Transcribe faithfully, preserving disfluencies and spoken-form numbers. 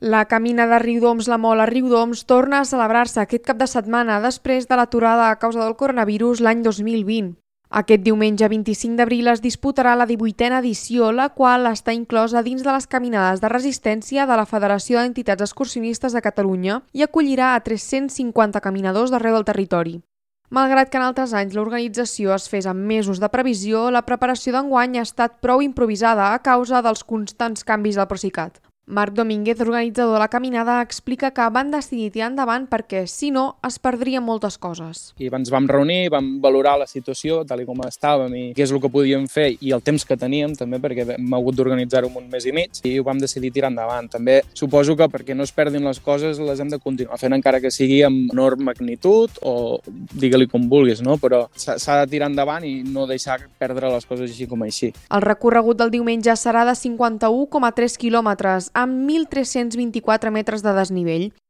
La Camina de Riudoms-La Mol a Riudoms torna a celebrar-se aquest cap de setmana després de l'aturada a causa del coronavirus l'any dos mil vint. Aquest diumenge vint-i-cinc d'abril es disputarà la divuitena edició, la qual està inclosa dins de les caminades de resistència de la Federació d'Entitats Excursionistes de Catalunya i acollirà a tres-cents cinquanta caminadors d'arreu del territori. Malgrat que en altres anys l'organització es fes amb mesos de previsió, la preparació d'enguany ha estat prou improvisada a causa dels constants canvis del Procicat. Marc Domínguez, organitzador de la caminada, explica que van decidir tirar endavant perquè, si no, es perdrien moltes coses. I ens vam reunir, vam valorar la situació tal com estàvem i què és el que podíem fer i el temps que teníem també, perquè hem hagut d'organitzar-ho un mes i mig i ho vam decidir tirar endavant. També suposo que perquè no es perdin les coses les hem de continuar fent encara que sigui amb menor magnitud o digue-li com vulguis, no? Però s'ha de tirar endavant i no deixar perdre les coses així com així. El recorregut del diumenge serà de cinquanta-u coma tres quilòmetres amb mil tres-cents vint-i-quatre metres de desnivell.